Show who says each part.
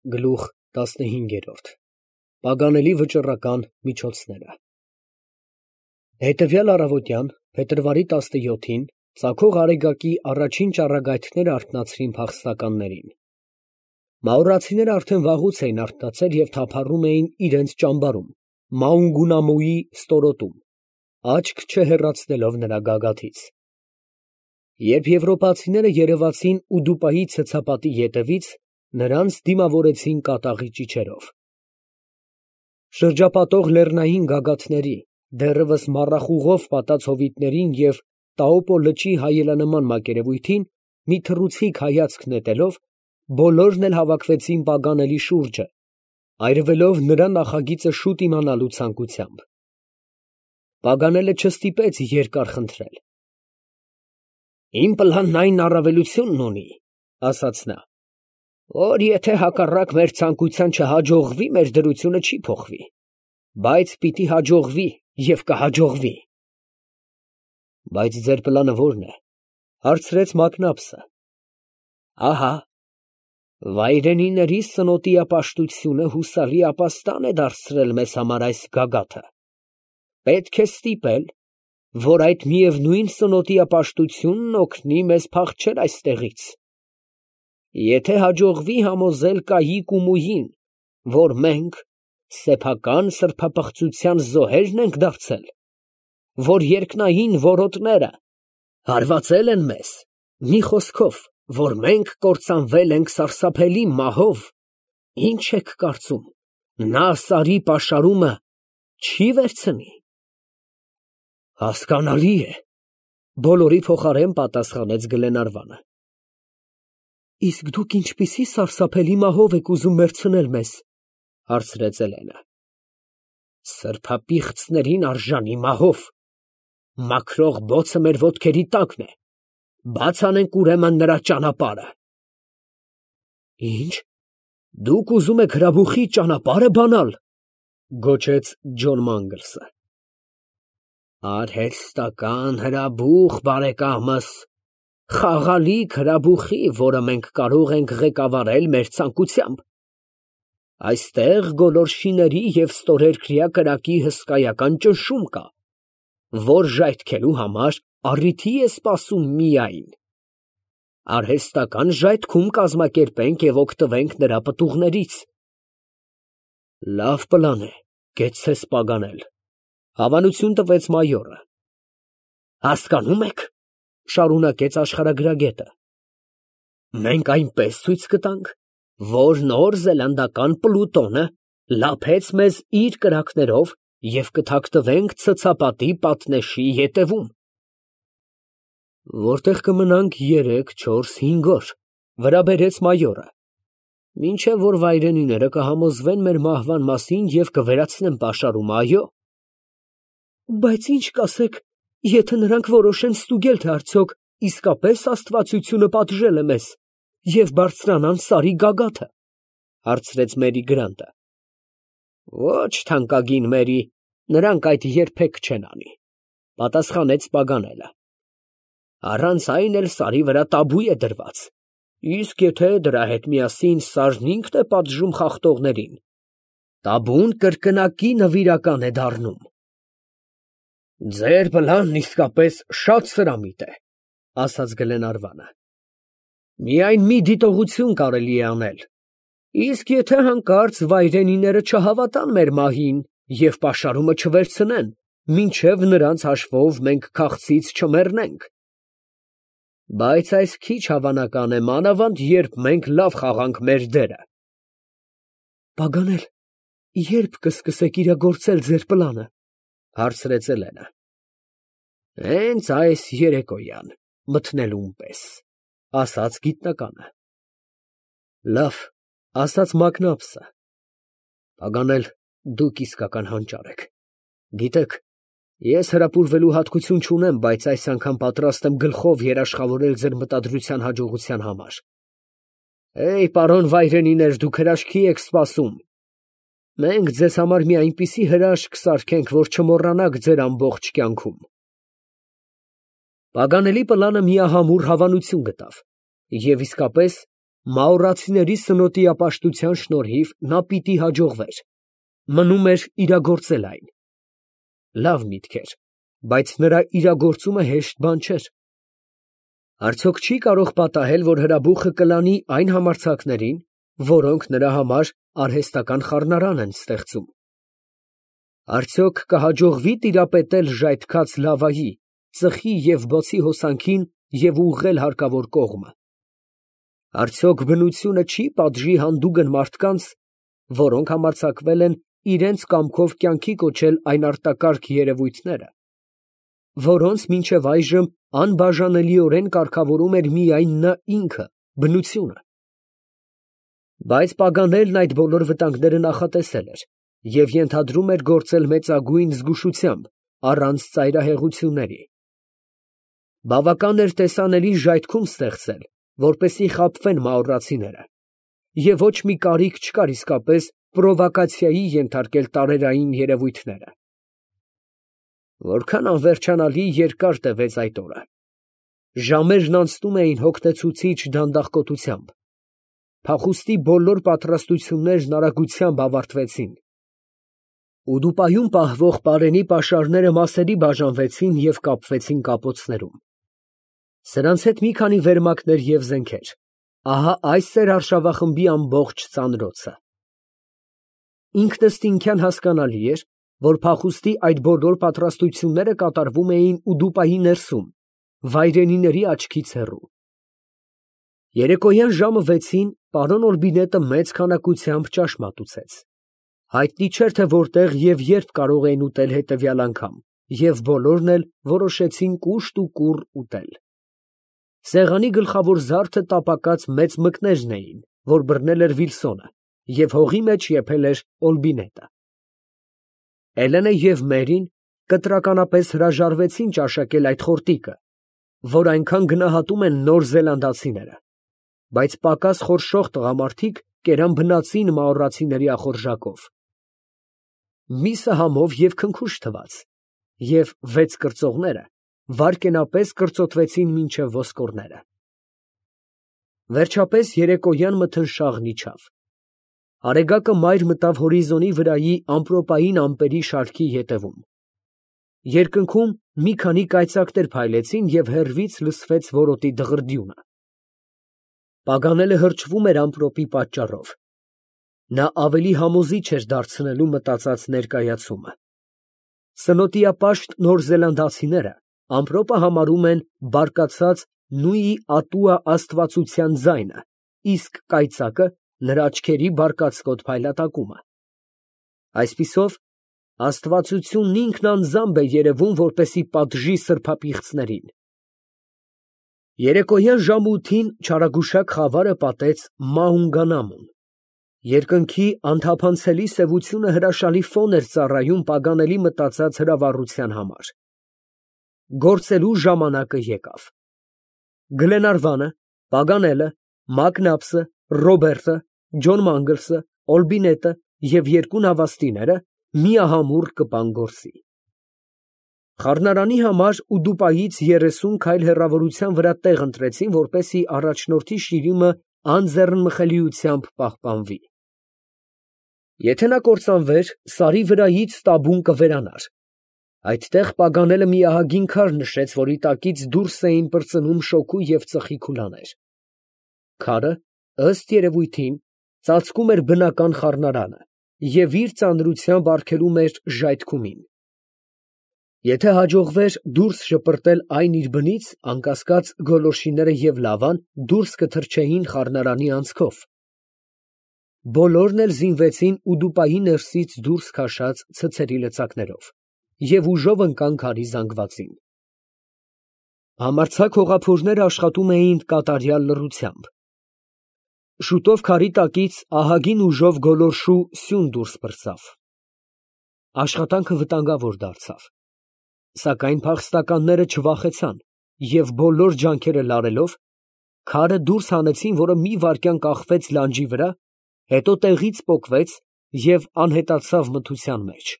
Speaker 1: Գլուխ 15 Պագանելի վճռական միջոցները Հետևյալ առավոտյան, փետրվարի 17-ին, ծագող Արեգակի առաջին ճառագայթները արթնացրին փախստականներին։ Մաուրացիները արդեն վաղուց էին արթնացել և թափառում էին իրենց ճամբարում, Մաունգունամուի ստորոտում, աչք չհեռացնելով նրա գագաթից։ Երբ եվրոպացիները երևացին Ուդուպայի ցցապատի ետևից, նրանց դիմավորեցին կատաղի ճիչերով։ Շրջապատող լեռնային գագաթների, դեռևս մառախուղով պատած հովիտներին և Տաոպո լճի հայելանման մակերևույթին մի թռուցիկ հայացք նետելով, բոլորն էլ հավաքվեցին Պագանելի շուրջը, այրվելով նրա նախագիծը շուտ իմանալու ցանկությամբ։ Պագանելը չստիպեց երկար խնդրել։ «Իմ պլանն այն առավելությունն ունի, ֊ ասաց նա, ֊ որ եթե հակառակ մեր ցանկության չհաջողվի, մեր դրությունը չի փոխվի, բայց պիտի հաջողվի և կհաջողվի»։ Բայց ձեր պլանը ո՞րն է, ֊ հարցրեց Մակնաբսը։ Ահա, վայրենիների սնոտիապաշտությունը հուսալի ապաստան է դարձրել մեզ համար այս գագաթը, պետք է ստիպել, որ այդ միևնույն սնոտիապաշտությունն օգնի մեզ փախչել այստեղից։ Եթե հաջողվի համոզել կայիկ ու մուհին, որ մենք սեփական սրբապղծության զոհերն ենք դարձել, որ երկնային որոտները հարվածել են մեզ, մի խոսքով, որ մենք կործանվել ենք սարսափելի մահով, ի՞նչ եք կարծում, նա սարի պաշարումը չի վերցնի։ Հասկանալի է, ֊ բոլորի փոխարեն պատասխանեց Գլենարվանը։ Իսկ դուք ինչպիսի սարսափելի մահով եք ուզում մեռցնել մեզ, ֊ հարցրեց Էլենը։ Սրբապիղծներին արժանի մահով, մաքրող բոցը մեր ոտքերի տակն է, բաց անենք ուրեմն նրա ճանապարհը։ Ինչ, դուք ուզում եք հրաբուխի ճանապարհը բանալ, ֊ գոչեց Ջոն Մանգլսը։ Արհեստական հրաբուխ, բարեկամս, խաղալիք հրաբուխի, որը մենք կարող ենք ղեկավարել մեր ցանկությամբ։ Այստեղ գոլորշիների և ստորերկրյա կրակի հսկայական ճնշում կա, որ ժայթքելու համար առիթի է սպասում միայն։ Արհեստական ժայթքում կազմակերպենք և օգտվենք նրա պտուղներից։ Լավ պլան է, կեցցես Պագանել, ֊ հավանություն տվեց մայորը։ Հասկանում եք, ֊ շարունակեց աշխարհագրագետը, մենք այնպես ցույց կտանք, որ Նոր Զելանդական Պլուտոնը լափեց մեզ իր կրակներով և կթաքնվենք ցցապատի պատնեշի ետևում։ Որտեղ կմնանք 3-4-5 օր, ֊ վրա բերեց մայորը, ֊ մինչև որ վայրենիները կհամոզվեն մեր մահվան մասին և կվերացնեն պաշարումը, այո։ Բայց ինչ կասեք, եթե նրանք որոշեն ստուգել, թե արդյոք իսկապես աստվածությունը պատժել է մեզ և բարձրանան սարի գագաթը, ֊ հարցրեց Մերի Գրանտը։ Ոչ, թանկագին Մերի, նրանք այդ երբեք չեն անի, ֊ պատասխանեց Պագանելը։ Առանց այն էլ սարի վրա տաբու է դրված, իսկ եթե դրա հետ միասին սարն ինքն է պատժում խախտողներին, տաբուն կրկնակի նվիրական է դառնում։ Ձեր պլանն իսկապես շատ սրամիտ է, ֊ ասաց Գլենարվանը։ Միայն մի դիտողություն կարելի է անել, իսկ եթե հանկարծ վայրենիները չհավատան մեր մահին և պաշարումը չվերցնեն, մինչև նրանց հաշվով մենք քաղցից չմեռնենք։ Բայց այս քիչ հավանական է, մանավանդ երբ մենք լավ խաղանք մեր դերը։ Պագանել, ե՞րբ կսկսեք իրագործել ձեր պլանը, ֊ հարցրեց Էլենը։ Հենց այս երեկոյան, մթնելուն պես, ֊ ասաց գիտնականը։ Լավ, ֊ ասաց Մակնաբսը։ Պագանել, դուք իսկական հանճար եք։ Գիտեք, ես հրապուրվելու հատկություն չունեմ, բայց այս անգամ պատրաստ եմ գլխով երաշխավորել ձեր մտադրության հաջողության համար։ Պարոն վայրենիներ, դուք հրաշքի եք սպասում։ Մենք ձեզ համար մի այնպիսի հրաշք կսարքենք, որ չմոռանաք ձեր ամբողջ կյանքում։ Պագանելի պլանը միահամուռ հավանություն գտավ, և իսկապես Մաուրացիների սնոտիապաշտության շնորհիվ նա պիտի հաջողվեր, մնում էր իրագործել այն։ Լավ միտք էր, բայց նրա իրագործումը հեշտ բան չէր։ Արդյոք չի կարող պատահել, որ հրաբուխը կլանի այն համարձակներին, որոնք նրա համար արհեստական խառնարան են ստեղծում։ Արդյոք կհաջողվի տիրապետել ժայթքած լավայի, ծխի և բոցի հոսանքին և ուղղել հարկավոր կողմը։ Արդյոք բնությունը չի պատժի հանդուգն մարդկանց, որոնք համարձակվել են իրենց կամքով կյանքի կոչել այն արտակարգ երևույթները, որոնց մինչև այժմ անբաժանելիորեն կարգավորում էր միայն նա ինքը, բնությունը։ Բայց Պագանելն այդ բոլոր վտանգները նախատեսել էր և ենթադրում էր գործել մեծագույն զգուշությամբ, առանց ծայրահեղությունների։ Բավական էր տեսանելի ժայթքում ստեղծել, որպեսզի խաբվեն մաուրացիները, և ոչ մի կարիք չկար իսկապես պրովոկացիայի ենթարկել տարերային երևույթները։ Որքան անվերջանալի երկար տևեց այդ օրը։ Ժամերն անցնում էին հոգնեցուցիչ դանդաղկոտությամբ։ Փախուստի բոլոր պատրաստություններն արագությամբ ավարտվեցին։ Ուդուպայում պահվող պարենի պաշարները մասերի բաժանվեցին և կապվեցին կապոցներում։ Սրանց հետ մի քանի վերմակներ և զենքեր։ Ահա այս էր արշավախմբի ամբողջ ծանրոցը։ Ինքնըստինքյան հասկանալի էր, որ փախուստի այդ բոլոր պատրաստությունները կատարվում էին Ուդուպայի ներսում, վայրենիների աչքից հեռու։ Երեկոյան ժամը 6-ին պարոն Օրբինետը մեծ քանակությամբ ճաշ մատուցեց։ Հայտնի չէր, թե որտեղ և երբ կարող էին ուտել հետևյալ անգամ, և բոլորն էլ որոշեցին կուշտ ու կուռ ուտել։ Սեղանի գլխավոր զարդը տապակած մեծ մկներն էին, որ բռնել էր Վիլսոնը, և հողի մեջ եփել էր Օլբինետը։ Էլենը և Մերին կտրականապես հրաժարվեցին ճաշակել այդ խորտիկը, որ այնքան գնահատում են նոր զելանդացիները, բայց պակաս խորշող տղամարդիկ կերան բնածին մաուրացիների ախորժակով։ Միսը համով և քնքուշ թվաց, և 6 կրծողները վայրկենապես կրծոտվեցին մինչև ոսկորները։ Վերջապես երեկոյան մթնշաղն իջավ։ Արեգակը մայր մտավ հորիզոնի վրայի ամպրոպային ամպերի շարքի ետևում։ Երկնքում մի քանի կայծակներ փայլեցին և հեռվից լսվեց որոտի դղրդյունը։ Պագանելը հրճվում էր ամպրոպի պատճառով։ Նա ավելի համոզիչ էր դարձնելու մտածած ներկայացումը։ Սնոտիապաշտ նոր զելանդացիները ամպրոպը համարում են բարկացած Նուի Ատուա աստվածության ձայնը, իսկ կայծակը նրա աչքերի բարկացկոտ փայլատակումը։ Այսպիսով, աստվածությունն ինքն անձամբ է երևում, որպեսզի պատժի սրբապիղծներին։ Երեկոյան ժամը 8-ին չարագուշակ խավարը պատեց Մաունգանամում։ Երկնքի անթափանցելի սևությունը հրաշալի ֆոն էր ծառայում Պագանելի մտածած հրավառության համար։ Գործելու ժամանակը եկավ։ Գլենարվանը, Պագանելը, Մակնաբսը, Ռոբերտը, Ջոն Մանգլսը, Օլբինետը և 2 նավաստիները միահամուռ կպան գործի։ Խառնարանի համար Ուդուպայից 30 քայլ հեռավորության վրա տեղ ընտրեցին, որպեսզի առաջնորդի շիրիմը անձեռնմխելիությամբ պահպանվի։ Եթե նա կործանվեր, սարի վրայից տաբուն կվերանար։ Այդտեղ Պագանելը մի ահագին քար նշեց, որի տակից դուրս էին պրծնում շոգու և ծխի քուլաներ։ Քարը, ըստ երևույթին, ծածկում էր բնական խառնարանը և իր ծանրությամբ արգելում էր ժայթքումին։ Եթե հաջողվեր դուրս շպրտել այն իր բնից, անկասկած գոլորշիները և լավան դուրս կթռչեին խառնարանի անցքով։ Բոլորն էլ զինվեցին Ուդուպայի ներսից դուրս քաշած ցցերի լծակներով և ուժով ընկան քարի զանգվածին։ Համարձակ հողափորները աշխատում էին կատարյալ լռությամբ։ Շուտով քարի տակից ահագին ուժով գոլորշու սյուն դուրս պրծավ։ Աշխատանքը վտանգավոր դարձավ։ Սակայն փախստականները չվախեցան և բոլոր ջանքերը լարելով, քարը դուրս հանեցին, որը մի վայրկյան կախվեց լանջի վրա, հետո տեղից պոկվեց և անհետացավ մթության մեջ։